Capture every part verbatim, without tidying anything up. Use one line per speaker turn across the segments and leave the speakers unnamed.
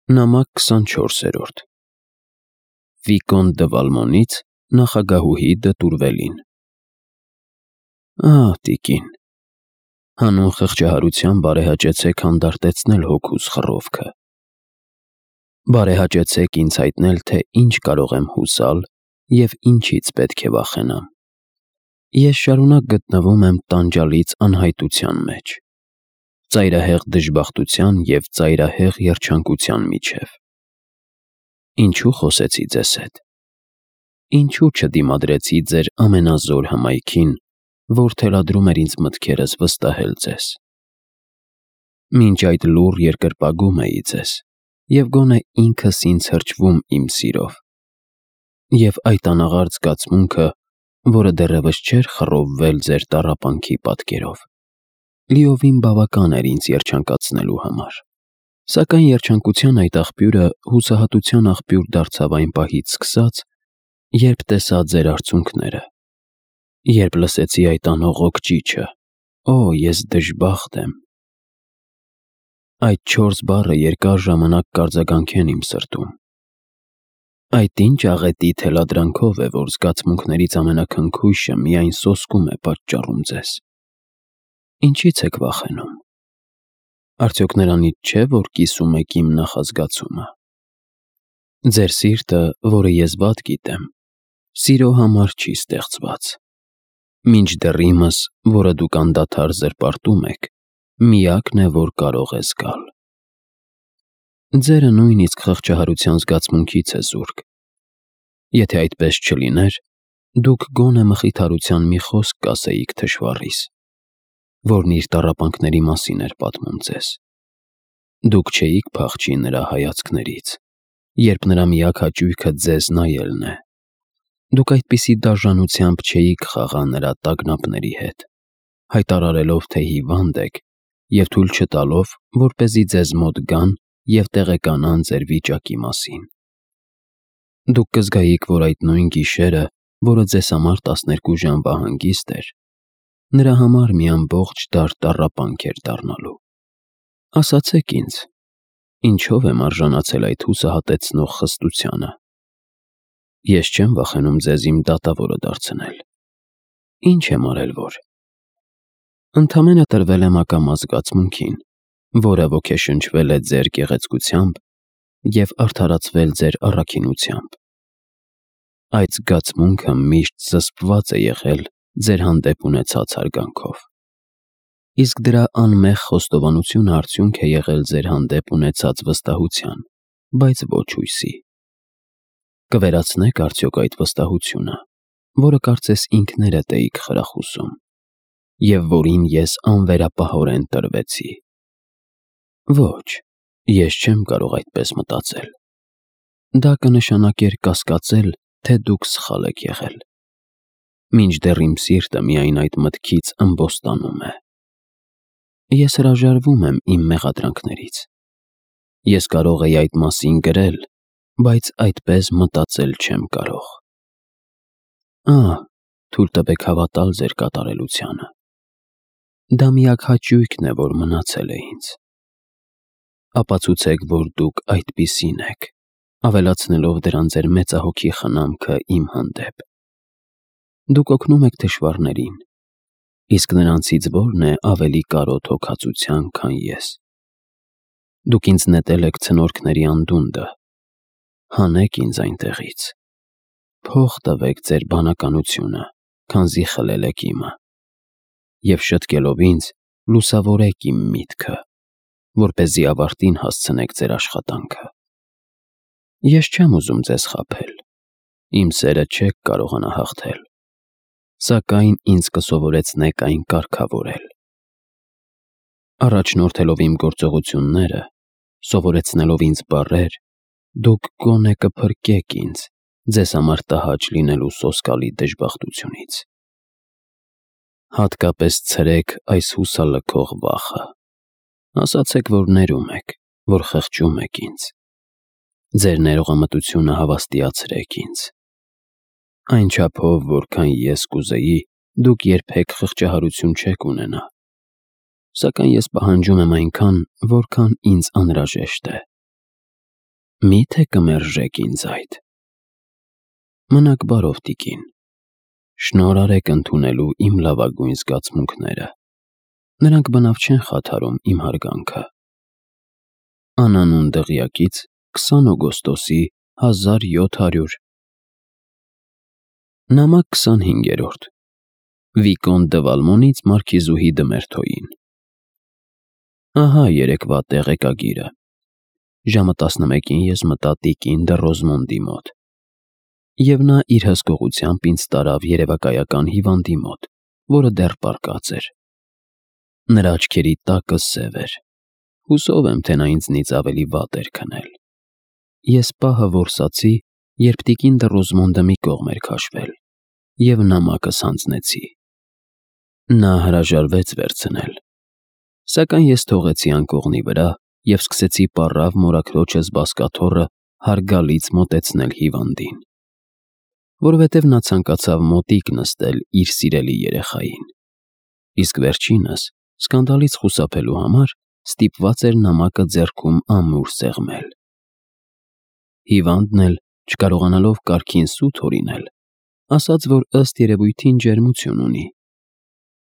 Նամակ քսանչորսերորդ Վիկոն դը Վալմոնից նախագահուհի դը Տուրվելին։ Ահ, տիկին, հանուն խղճահարության բարեհաճեցեք հանդարտեցնել հոգուս խռովքը։ Բարեհաճեցեք ինձ հայտնել, թե ինչ կարող եմ հուսալ և ինչից պետք է վախենամ։ Ես շարունակ գտնվում եմ տանջալից անհայտության մեջ, ծայրահեղ դժբախտության և ծայրահեղ երջանկության միջև։ Ինչու խոսեցի ձեզ հետ։ Ինչու չդիմադրեցի ձեր ամենազոր հմայքին, որ թելադրում էր ինձ մտքերս վստահել ձեզ։ Մինչ այդ լուռ երկրպագում էի ձեզ, և գոնե ինքս ինձ հրճվում իմ սիրով, և այդ անաղարտ զգացմունքը, որը դեռևս չէր խռովվել ձեր տառապանքի պատկերով, լիովին բավական էր ինձ երջանկացնելու համար։ Սակայն երջանկության այդ աղբյուրը հուսահատության աղբյուր դարձավ այն պահից սկսած, երբ տեսա ձեր արցունքները, երբ լսեցի այդ անողոք ճիչը. «Օ, ես դժբախտ եմ»։ Այդ չորս բառը երկար ժամանակ կարձագանքեն իմ սրտում։ Այդ ինչ աղետի թելադրանքով է, որ զգացմունքներից ամենաքնքույշը միայն սոսկում է պատճառում ձեզ։ Ինչի՞ց եք վախենում։ Արդյոք նրանից չէ, որ կիսում եք իմ նախազգացումը։ Ձեր սիրտը, որը ես վատ գիտեմ, սիրո համար չի ստեղծված։ Մինչդեռ իմս, որը դուք անդադար զրպարտում եք, միակն է, որ կարող է զգալ։ Ձերը նույնիսկ խղճահարության զգացմունքից է զուրկ։ Եթե այդպես չլիներ, դուք գոնե մխիթարության մի խոսք կասեիք թշվառիս, որն իր տառապանքների մասին էր պատմում ձեզ։ Դուք չէիք փախչի նրա հայացքներից, երբ նրա միակ հաճույքը ձեզ նայելն է։ Դուք այդպիսի դաժանությամբ չէիք խաղա նրա տագնապների հետ, հայտարարելով, թե հիվանդ եք, և թույլ չտալով, որպեսզի ձեզ մոտ գան և տեղեկանան ձեր վիճակի մասին։ Դուք կզգայիք, որ այդ նույն գիշերը, որը ձեզ համար տասներկու ժամվա հանգիստ էր, նրա համար մի ամբողջ դար տառապանք էր դառնալու։ Ասացեք ինձ, ինչո՞վ եմ արժանացել այդ հուսահատեցնող խստությանը։ Ես չեմ վախենում ձեզ իմ դատավորը դարձնել։ Ինչ եմ արել, որ։ Ընդամենը տրվել եմ ակամա զգացմունքին, որը ոգեշնչվել է ձեր գեղեցկությամբ և արդարացվել ձեր առաքինությամբ։ Այդ զգացմունքը միշտ զսպված է եղել ձեր հանդեպ ունեցած հարգանքով, իսկ դրա անմեղ խոստովանությունը արդյունք է եղել ձեր հանդեպ ունեցած վստահության, բայց ոչ հույսի։ Կվերացնե՞ք արդյոք այդ վստահությունը, որը կարծես ինքներդ էիք խրախուսում, և որին ես անվերապահորեն տրվեցի։ Ոչ, ես չեմ կարող այդպես մտածել։ Դա կնշանակեր կասկածել, թե դուք սխալ եք եղել, մինչդեռ իմ սիրտը միայն այդ մտքից ըմբոստանում է։ Ես հրաժարվում եմ իմ մեղադրանքներից։ Ես կարող էի այդ մասին գրել, բայց այդպես մտածել չեմ կարող։ Ահ, թույլ տվեք հավատալ ձեր կատարելությանը։ Դա միակ հաճույքն է, որ մնացել է ինձ։ Ապացուցեք, որ դուք այդպիսին եք, ավելացնելով դրան ձեր մեծահոգի խնամքը իմ հանդեպ։ Դուք օգնում եք թշվառներին, իսկ նրանցից ո՞րն է ավելի կարոտ հոգածության, քան ես։ Դուք ինձ նետել եք ցնորքների անդունդը։ Հանեք ինձ այնտեղից։ Փող տվեք ձեր բանականությունը, քանզի խլել եք իմը, և շտկելով ինձ, լուսավորեք իմ միտքը, որպեսզի ավարտին հասցնեք ձեր աշխատանքը։ Ես չեմ ուզում ձեզ խաբել, իմ սերը չեք կարողանա հաղթել, սակայն ինձ կսովորեցնեք այն կարգավորել։ Առաջնորդելով իմ գործողությունները, սովորեցնելով ինձ բառեր, դուք գոնե կփրկեք ինձ ձեզ համար տհաճ լինելու սոսկալի դժբախտությունից։ Հատկապես ցրեք այս հուսալքող վախը։ Ասացեք, որ ներում եք, որ խղճում եք ինձ։ Ձեր ներողամտությունը հավաստիացրեք ինձ։ Այն չափով, որքան ես կուզեի, դուք երբեք խղճահարություն չեք ունենա, սակայն ես պահանջում եմ այնքան, որքան ինձ անհրաժեշտ է։ Մի՞թե կմերժեք ինձ այդ։ Մնաք բարով, տիկին։ Շնորհ արեք ընդունելու իմ լավագույն զգացմունքները։ Նրանք բնավ չեն խաթարում իմ հարգանքը։ Անանուն դղյակից քսան օգոստոսի հազար յոթ հարյուր Նամակ քսանհինգերորդ Վիկոն դը Վալմոնից մարքիզուհի Դմերթոյին։ Ահա երեկվա տեղեկագիրը։ Ժամը տասնմեկին ես մտա տիկին դը Ռոզմոնդի մոտ, և նա իր հսկողությամբ ինձ տարավ երևակայական հիվանդի մոտ, որը դեռ պառկած էր։ Նրա աչքերի տակը սև էր։ Հուսով եմ, թե նա ինձնից ավելի վատ էր քնել։ Ես պահը որսացի, երբ տիկին դը Ռոզմոնդը մի կողմ էր քաշվել, և նամակս հանձնեցի։ Նա հրաժարվեց վերցնել, սակայն ես թողեցի անկողնի վրա և սկսեցի պառավ մորաքրոջս բազկաթոռը հարգալից մոտեցնել հիվանդին, որովհետև նա ցանկացավ մոտիկ նստել իր սիրելի երեխային, իսկ վերջինս, սկանդալից խուսափելու համար, ստիպված էր նամակը ձեռքում ամուր սեղմել։ Հիվանդն էլ, չկարողանալով կարգին սուտ հորինել, ասաց, որ ըստ երևույթին ջերմություն ունի։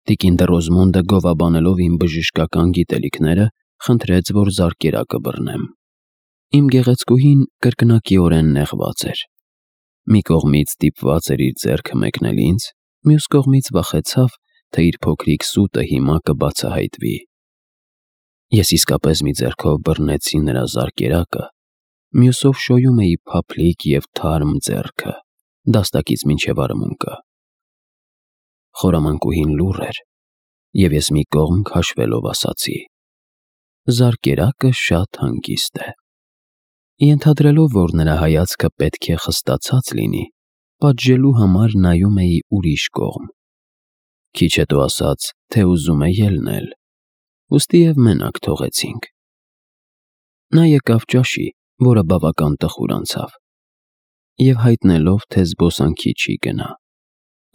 Տիկին դը Ռոզմոնդը գովաբանելով իմ բժշկական գիտելիքները, խնդրեց, որ զարկերակը բռնեմ։ Իմ գեղեցկուհին կրկնակիորեն նեղված էր։ Մի կողմից ստիպված էր իր ձեռքը մեկնել ինձ, մյուս կողմից վախեցավ, թե իր փոքրիկ սուտը հիմա կբացահայտվի։ Ես իսկապես մի ձեռքով բռնեցի նրա զարկերակը, մյուսով շոյում էի փափլիկ և թարմ ձեռքը, դաստակից մինչև արմունկը։ Խորամանկուհին լուռ էր, և ես մի կողմ քաշվելով ասացի. «Զարկերակը շատ հանգիստ է»։ Ենթադրելով, որ նրա հայացքը պետք է խստացած լինի, պատժելու համար նայում էի ուրիշ կողմ։ Քիչ հետո ասաց, թե ուզում է ելնել, ուստիև մենակ թողեցինք։ Նա եկավ ճաշի, որը բավական տխուր անցավ, և հայտնելով, թե զբոսանքի չի գնա,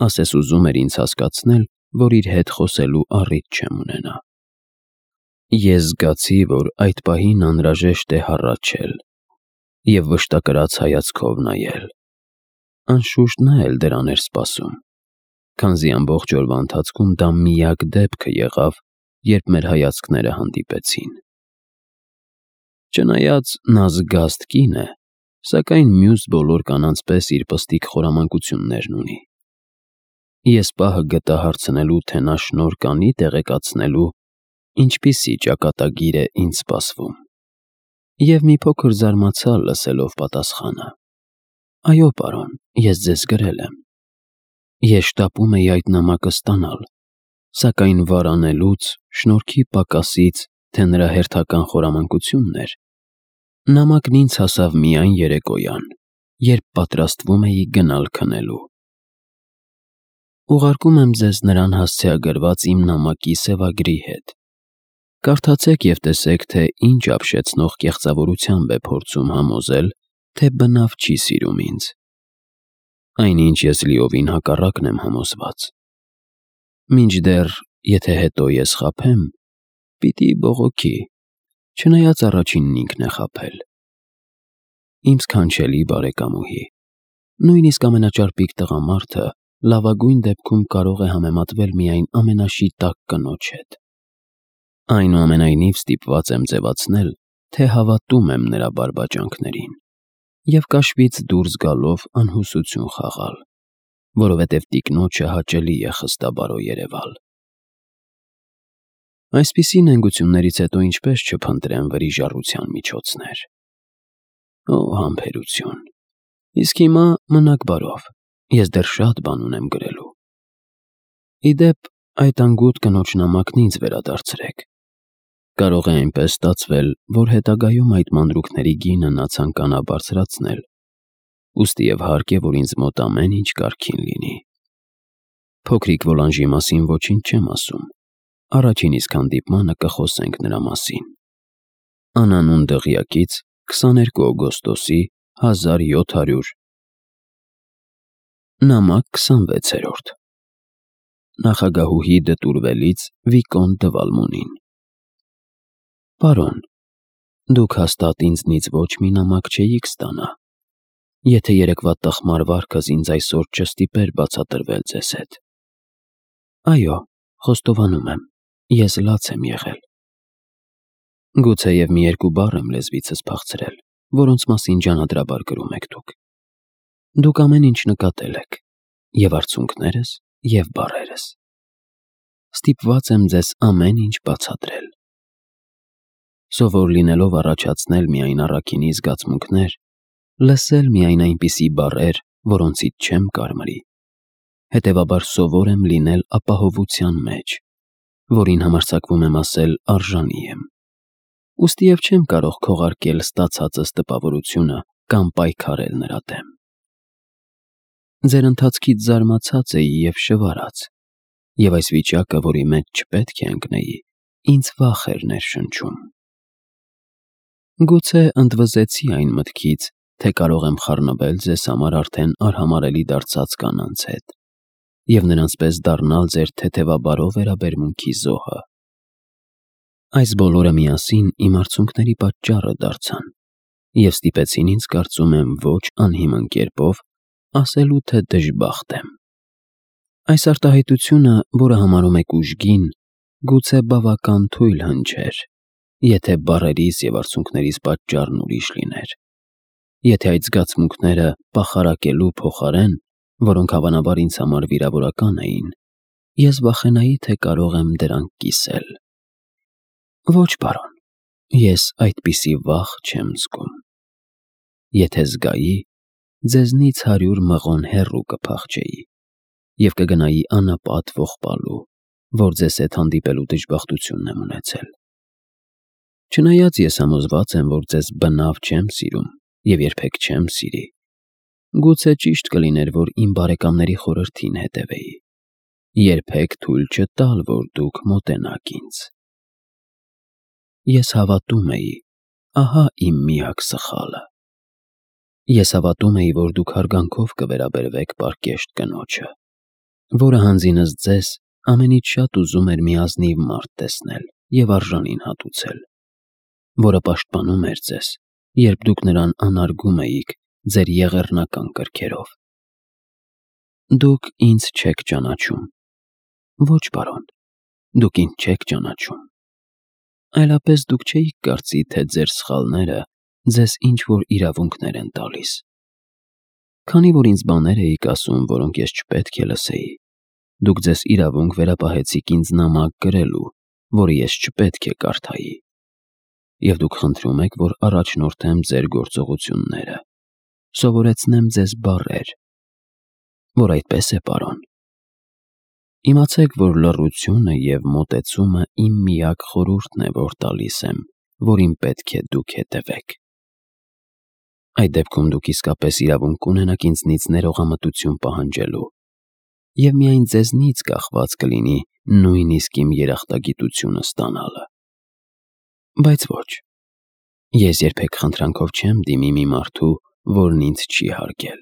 ասես ուզում էր ինձ հասկացնել, որ իր հետ խոսելու առիթ չեմ ունենա։ Ես զգացի, որ այդ պահին անհրաժեշտ է հառաչել և վշտակրած հայացքով նայել։ Անշուշտ նա էլ դրան էր սպասում, քանզի ամբողջ օրվա ընթացքում դա միակ դեպքը եղավ, երբ մեր հայացքները հանդիպեցին։ Չնայած նա զգաստ կին է, սակայն մյուս բոլոր կանանց պես իր պստիկ խորամանկություններն ունի։ Ես պահը գտա հարցնելու, թե նա շնորհ կանի տեղեկացնելու, ինչպիսի ճակատագիր է ինձ սպասվում, և մի փոքր զարմացա լսելով պատասխանը. «Այո, պարոն, ես ձեզ գրել եմ»։ Ես շտապում էի այդ նամակը ստանալ, սակայն վարանելուց, շնորհքի պակասից, թե նրա հերթական խորամանկությունն էր, նամակն ինձ հասավ միայն երեկոյան, երբ պատրաստվում էի գնալ քնելու։ Ուղարկում եմ ձեզ նրան հասցեագրված իմ նամակի սևագրի հետ։ Կարդացեք և տեսեք, թե ինչ ապշեցնող կեղծավորությամբ է փորձում համոզել, թե բնավ չի սիրում ինձ։ Այնինչ ես լիովին հակառակն եմ համոզված։ Մինչդեռ, եթե հետո ես խաբեմ, պիտի բողոքի, չնայած առաջինն ինքն է խաբել։ Իմ սքանչելի բարեկամուհի, նույնիսկ ամենաճարպիկ տղամարդը լավագույն դեպքում կարող է համեմատվել միայն ամենաշիտակ կնոջ հետ։ Այնուամենայնիվ ստիպված եմ ձևացնել, թե հավատում եմ նրա բարբաջանքներին և կաշվից դուրս գալով անհուսություն խաղալ, որովհետև տիկնոջը հաճելի է խստաբարո երևալ։ Այսպիսի նենգություններից հետո ինչպես չփնտրեմ վրիժառության միջոցներ։ Օ, համբերություն։ Իսկ հիմա մնաք բարով, ես դեռ շատ բան ունեմ գրելու։ Ի դեպ, այդ անգութ կնոջ նամակն ինձ վերադարձրեք։ Կարող է այնպես ստացվել, որ հետագայում այդ մանրուքների գինը նա ցանկանա բարձրացնել, ուստիև հարկ է, որ ինձ մոտ ամեն ինչ կարգին լինի։ Փոքրիկ Վոլանժի մասին ոչինչ չեմ ասում, առաջին իսկ հանդիպմանը կխոսենք նրա մասին։ Անանուն դղյակից քսաներկու օգոստոսի հազար յոթ հարյուր Նամակ քսանվեցերորդ Նախագահուհի դտուրվելից Վիկոն դը Վալմոնին։ Պարոն, Դուք հաստատ ինձնից ոչ մի նամակ չէիք ստանա, եթե երեկվա տխմար վարքս ինձ այսօր չստիպեր բացատրվել ձեզ հետ։ Այո, խոստովանում եմ, ես լաց եմ եղել։ Գուցեև մի երկու բառ եմ լեզվիցս փախցրել, որոնց մասին ջանադրաբար գրում եք դուք։ Դուք ամեն ինչ նկատել եք, և արցունքներս, և բառերս։ Ստիպված եմ ձեզ ամեն ինչ բացատրել։ Սովոր լինելով առաջացնել միայն առաքինի զգացմունքներ, լսել միայն այնպիսի բառեր, որոնցից չեմ կարմրի, հետևաբար սովոր եմ լինել ապահովության մեջ, որին համարձակվում եմ ասել արժանի եմ։ Ուստի և չեմ կարող քողարկել ստացածս տպավորությունը կամ պայքարել նրա դեմ։ Ձեր ընթացքից զարմացած էի և շվարած, և այս վիճակը, որի մեջ չպետք է ընկնեի, ինձ վախ էր ներշնչում։ Գուցե ընդվզեցի այն մտքից, թե կարող եմ խառնվել ձեզ համար արդեն արհամարհելի դարձած կանանց հետ և նրանց պես դառնալ ձեր թեթևաբարո վերաբերմունքի զոհը։ Այս բոլորը միասին իմ արցունքների պատճառը դարձան և ստիպեցին ինձ, կարծում եմ, ոչ անհիմն կերպով ասելու, թե դժբախտ եմ։ Այս արտահայտությունը, որը համարում եք ուժգին, գուցե բավական թույլ հնչեր, եթե բառերիս և արցունքներիս պատճառն ուրիշ լիներ, եթե այդ զգացմունքները պախարակելու փոխարեն, որոնք հավանաբար ինձ համար վիրավորական էին, ես վախենայի, թե կարող եմ դրանք կիսել։ Ոչ, պարոն, ես այդպիսի վախ չեմ զգում։ Եթե զգայի, ձեզնից հարյուր մղոն հեռու կփախչեի և կգնայի անապատ ողբալու, որ ձեզ հետ հանդիպելու դժբախտությունն եմ ունեցել։ Չնայած ես համոզված եմ, որ ձեզ բնավ չեմ սիրում և երբեք չեմ սիրի, գուցե ճիշտ կլիներ, որ իմ բարեկամների խորհրդին հետևեի, երբեք թույլ չտալ, որ դուք մոտենաք ինձ։ Ես հավատում էի, ահա իմ միակ սխալը։ Ես հավատում էի, որ դուք հարգանքով կվերաբերվեք պարկեշտ կնոջը, որը հանձինս ձեզ ամենից շատ ուզում էր մի ազնիվ մարդ տեսնել և արժանին հատուցել, որը պաշտպանում էր ձեզ, երբ դուք նրան անարգում էիք ձեր եղեռնական կրքերով։ Դուք ինձ չեք ճանաչում։ Ոչ, պարոն, դուք ինձ չեք ճանաչում։ Այլապես դուք չէիք կարծի, թե ձեր սխալները ձեզ ինչ-որ իրավունքներ են տալիս։ Քանի որ ինձ բաներ էիք ասում, որոնք ես չպետք է լսեի, դուք ձեզ իրավունք վերապահեցիք ինձ նամակ գրելու, որը ես չպետք է կարդայի, և դուք խնդրում եք, որ առաջնորդեմ ձեր գործողությունները, սովորեցնեմ ձեզ բառեր, որ այդպես է, պարոն։ Իմացեք, որ լռությունը և մոտեցումը իմ միակ խորհուրդն է, որ տալիս եմ, որին պետք է դուք հետևեք։ Այդ դեպքում դուք իսկապես իրավունք կունենաք ինձնից ներողամտություն պահանջելու, և միայն ձեզնից կախված կլինի նույնիսկ իմ երախտագիտությունը ստանալը։ Բայց ոչ, ես երբեք խնդրանքով չեմ դիմի մի մարդու, որն ինձ չի հարգել։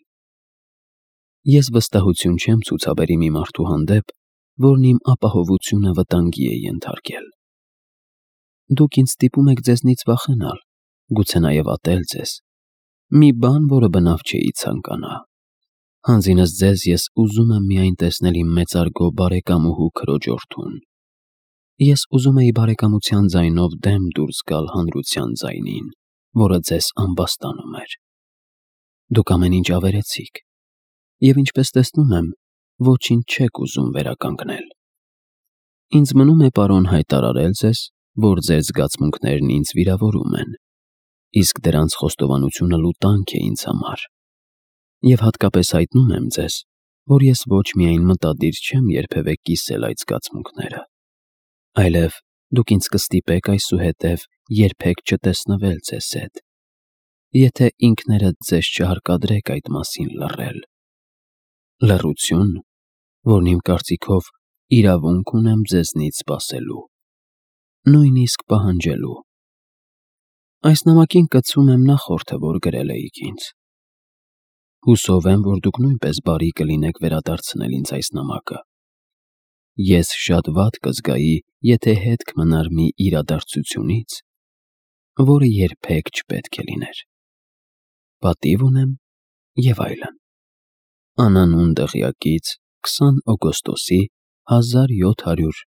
Ես վստահություն չեմ ցուցաբերի մի մարդու հանդեպ, որն իմ ապահովությունը վտանգի է ենթարկել։ Դուք ինձ ստիպում եք ձեզնից վախենալ, գուցե նաև ատել ձեզ, մի բան, որը բնավ չէի ցանկանա։ Հանձինս ձեզ ես ուզում եմ միայն տեսնել իմ մեծարգո բարեկամուհու քրոջորդուն։ Ես ուզում էի բարեկամության ձայնով դեմ դուրս գալ հանրության ձայնին, որը ձեզ ամբաստանում էր։ Դուք ամեն ինչ ավերեցիք, և ինչպես տեսնում եմ, ոչինչ չեք ուզում վերականգնել։ Ինձ մնում է, պարոն, հայտարարել ձեզ, որ ձեր զգացմունքներն ինձ վիրավորում են, իսկ դրանց խոստովանությունը լուտանք է ինձ համար, և հատկապես հայտնում եմ ձեզ, որ ես ոչ միայն մտադիր չեմ երբևէ կիսել այդ զգացմունքները, այլև դուք ինձ կստիպեք այսուհետև երբեք չտեսնվել ձեզ հետ, եթե ինքներդ ձեզ չհարկադրեք այդ մասին լռել։ Լռություն, որն իմ կարծիքով իրավունք ունեմ ձեզնից սպասելու, նույնիսկ պահանջելու։ Այս նամակին կցում եմ նախորդը, որ գրել էիք ինձ։ Հուսով եմ, որ դուք նույնպես բարի կլինեք վերադարձնել ինձ այս նամակը։ Ես շատ վատ կզգայի, եթե հետք մնար մի իրադարձությունից, որը երբեք չպետք է լիներ։ Պատիվ ունեմ եւ այլն։ Անանուն դղյակից քսան օգոստոսի հազար յոթ հարյուր